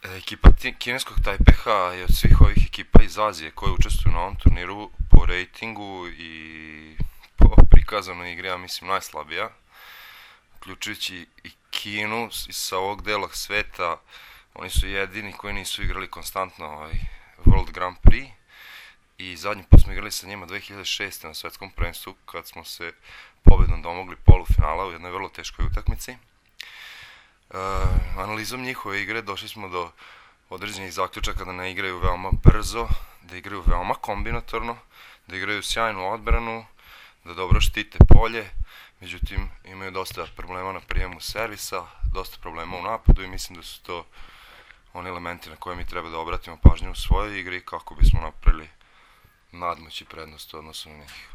Ekipa kineskog Tajpeha je od svih ovih ekipa iz Azije koje učestvuju na ovom turniru po rejtingu i po prikazanoj igri, ja mislim, najslabija. Uključujući i Kinu sa ovog dela sveta, oni su jedini koji nisu igrali konstantno World Grand Prix. I zadnji put smo igrali sa njima 2006. na svetskom prvenstvu kad smo se pobedom domogli polufinala u jednoj vrlo teškoj utakmici. Analizom njihove igre došli smo do određenih zaključaka da ne igraju veoma brzo, da igraju veoma kombinatorno, da igraju sjajnu odbranu, da dobro štite polje, međutim imaju dosta problema na prijemu servisa, dosta problema u napadu i mislim da su to oni elementi na koje mi treba da obratimo pažnju u svojoj igri kako bismo napravili nadmoć i prednost u odnosu na njih.